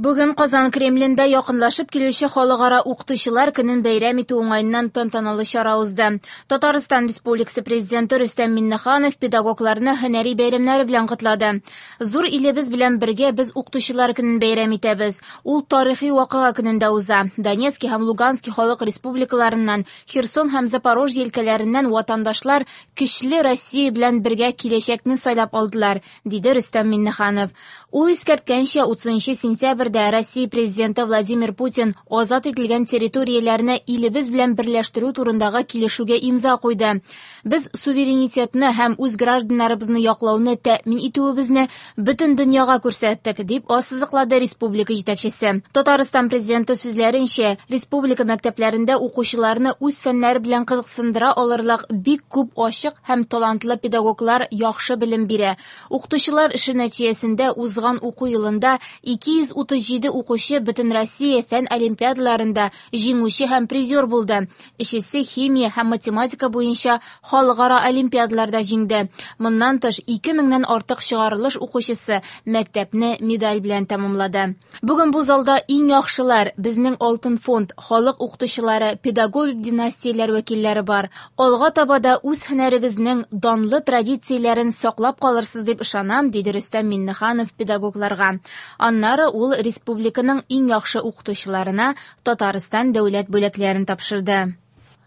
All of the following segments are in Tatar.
Бүген Казан Кремлендә якынлашып килүче Халыкара укытучылар көнен бәйрәм итү уңаеннан тантаналы чара узды. Татарстан Республикасы Президенты Рөстәм Миңнеханов педагогларны һөнәри бәйрәмнәре белән котлады. Зур илебез белән бергә без Укытучылар көнен бәйрәм итәбез. Ул тарихи вакыйга көнендә уза. Донецки һәм Лугански халык республикаларыннан, Херсон һәм Запорожье өлкәләреннән ватандашлар көчле Россия белән бергә киләчәкне сайлап алдылар, диде Рөстәм Миңнеханов. Ул искәрткәнчә, 30 сентябрьдә Россия Президенты Владимир Путин азат ителгән территорияләрне илебез белән берләштерү турындагы килешүгә имза куйды. Без суверенитетны һәм үз гражданнарыбызны яклауны тәэмин итүебезне бөтен дөньяга күрсәттек, дип ассызыклады республика җитәкчесе. Татарстан Президенты сүзләренчә, республика мәктәпләрендә укучыларны үз фәннәре белән кызыксындыра алырлык бик күп ачык һәм талантлы педагоглар яхшы белем бирә. Укытучылар эше нәтиҗәсендә узган уку елында 237 укучы Бөтенроссия фән олимпиадаларында җиңүче һәм призер булды. Өчесе химия һәм математика буенча халыкара олимпиадаларда җиңде. Моннан тыш, 2 меңнән артык чыгарылыш укучысы мәктәпне медаль белән тәмамлады. Бүген бу залда иң яхшылар, безнең алтын фонд, халык укытучылары, педагогик династияләр вәкилләре бар. Алга таба да үз һөнәрегезнең данлы традицияләрен саклап калырсыз дип ышанам, диде Рөстәм Миңнеханов педагогларга. Аннары ул республиканың иң яхшы укытучыларына Татарстан дәүләт бүләкләрен тапшырды.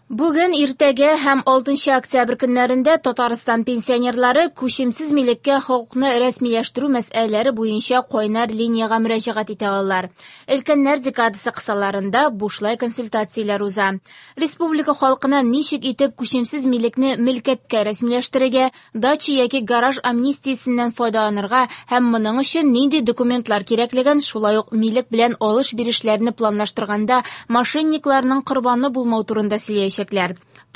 Бүген, иртәгә һәм 6 октябрь көннәрендә Татарстан пенсионерлары күчемсез милеккә хокукны рәсмиләштерү мәсьәләләре буенча кайнар линиягә мөрәҗәгать итә алалар. Өлкәннәр декадасы кысаларында бушлай консультацияләр уза. Республика халкына ничек итеп күчемсез милекне мөлкәткә рәсмиләштерергә, дача яки гараж амнистиясеннән файдаланырга һәм моның өчен нинди документлар кирәклеген, шулай ук милек белән алыш-бирешләрне планлаштырганда мошенникларның корбаны булмау турында сөйләячәкләр.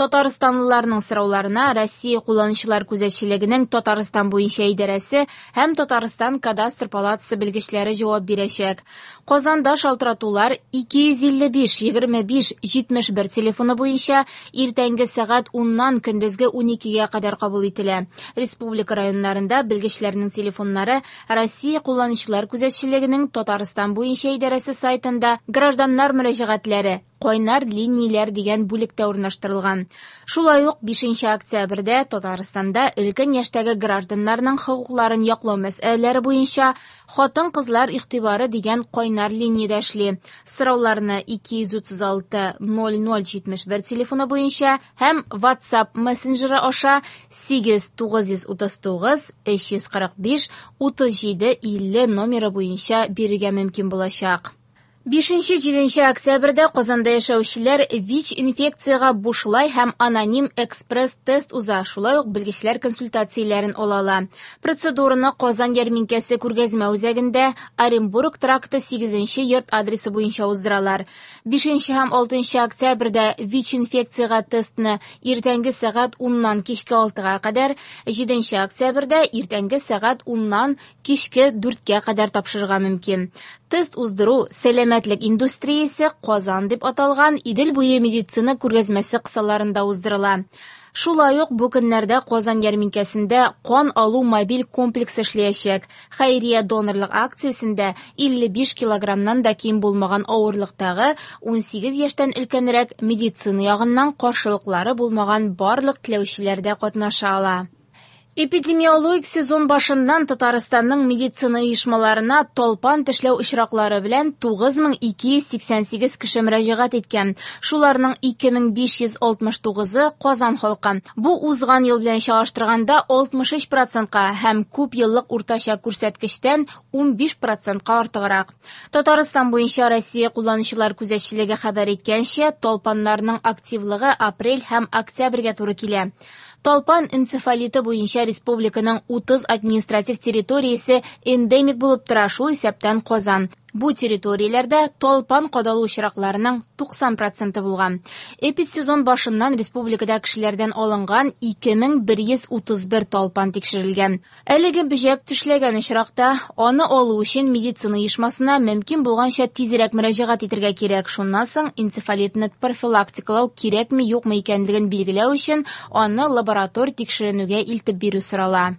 Татарстанлыларның сорауларына Россия кулланучылар күзәтчелегенең Татарстан буенча идарәсе һәм Татарстан кадастр палатасы белгечләре җавап бирәчәк. Казанда шалтыратулар 255 25 71 телефоны буенча иртәнге сәгать 10-нан көндезге 12-гә кадәр кабул ителә. Республика районнарында белгечләрнең телефоннары Россия кулланучылар күзәтчелегенең Татарстан буенча идарәсе сайтында гражданнар мөрәҗәгатьләре кайнар линияләр дигән бүлектә урнаштырылган. Шулай ук 5 октябрьдә Татарстанда өлкән яшьтәге гражданнарның хокукларын яклау мәсьәләләре буенча хатын-кызлар игътибары дигән кайнар линиядә эшли. Сорауларны 236 0071 телефоны буенча һәм WhatsApp мессенджеры аша 8 939 345 37 50 номеры буенча бирергә мөмкин булачак. 5-7 октябрьдә Казанда яшәүчеләр ВИЧ инфекциягә бушлай һәм аноним экспресс-тест уза, шулай ук белгечләр консультацияләрен ала ала. Процедураны Казан ярминкәсе күргәзмә үзәгендә Оренбург тракты 8 йорт адресы буенча уздыралар. 5 һәм 6 октябрьдә ВИЧ инфекциягә тестны иртәнге сәгать 10-нан кичке 6-га кадәр, 7 октябрьдә иртәнге сәгать 10-нан кичке 4-кә кадәр тапшырырга мөмкин. Тест уздыру сәламәтлек индустриясе Казан дип аталган Идел буе медицина күргәзмәсе кысаларында уздырыла. Шулай ук бу көннәрдә Казан ярминкәсендә кан алу мобиль комплексы эшләячәк. Хәйрия донорлык акциясендә 55 килограммнан да ким булмаган авырлыктагы 18 яшьтән өлкәнрәк медицина ягыннан каршылыклары булмаган барлык теләүчеләр дә катнаша ала. Эпидемиологик сезон башыннан Татарстанның медицина оешмаларына талпан тешләү очраклары белән 9288 кеше мөрәҗәгать иткән. Шуларның 2569-ы Казан халкы. Бу узган ел белән чагыштырганда 63%-ка һәм күп еллык уртача күрсәткечтән 15%-ка артыграк. Татарстан буенча Россия кулланучылар күзәтчелеге хәбәр иткәнчә, талпаннарның активлыгы апрель һәм октябрьгә туры килә. Талпан энцефалиты буенча республиканың 30 административ территориясе эндемик булып тора, шул исәптән Казан. Бу территорияләрдә талпан кадалу очракларының 90% булган. Эпидсезон башыннан республикада кешеләрдән алынган 2131 талпан тикшерелгән. Әлеге бөҗәк тешләгән очракта аны алу өчен медицина оешмасына мөмкин булганча тизрәк мөрәҗәгать итәргә кирәк. Шуннан соң энцефалитны профилактикалау кирәкме юкмы икәнлеген билгеләү өчен аны лаборатор тикшеренүгә илтеп бирү сорала.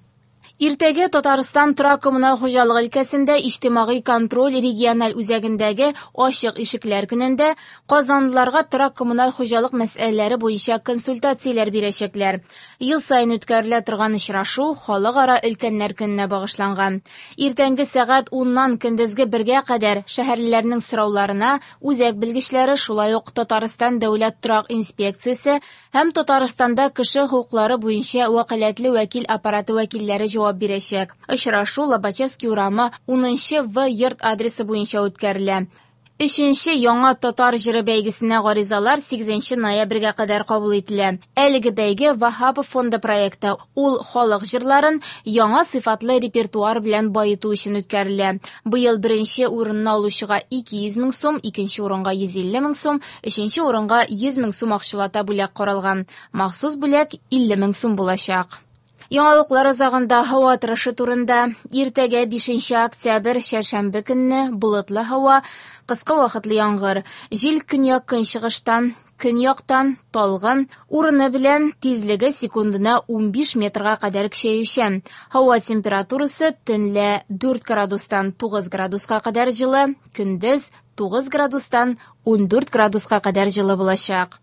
Иртәгә Татарстан торак-коммуналь хуҗалык өлкәсендә иҗтимагый контроль региональ үзәгендәге ачык ишекләр көнендә казанлыларга торак-коммуналь хуҗалык мәсьәләләре буенча консультацияләр бирәчәкләр. Ел саен үткәрелә торган очрашу Халыкара өлкәннәр көненә багышланган. Иртәнге сәгать 10-нан көндезге 1-гә кадәр шәһәрлеләрнең сорауларына үзәк белгечләре, шулай ук Татарстан дәүләт торак инспекциясе һәм Татарстанда кеше хокуклары буенча вәкаләтле вәкил аппараты вәкилләре җавап бирәчәк. Очрашу Лобачевский урамы 10 В йорт адресы буенча үткәрелә. Өченче яңа татар җыры бәйгесенә гаризалар 8 ноябрьгә кадәр кабул ителә. Әлеге бәйге Ваһапов фонды проекты. Ул халык җырларын яңа сыйфатлы репертуар белән баету өчен үткәрелә. Быел беренче урынны алучыга 200 мең сум, икенче урынга 150 мең сум, өченче урынга 100 мең сум акчалата бүләк каралган. Махсус бүләк 50 мең сум булачак. Яңалыклар азагында һава торышы турында. Иртәгә 5 октябрь, чәршәмбе көнне болытлы һава, кыска вакытлы яңгыр. Җил көньяк-көнчыгыштан, көньяктан талгын, урыны белән тизлеге секундына 15 метрга кадәр көчәючән. Һава температурасы төнлә 4 градустан 9 градуска кадәр җылы, көндез 9 градустан 14 градуска кадәр җылы булачак.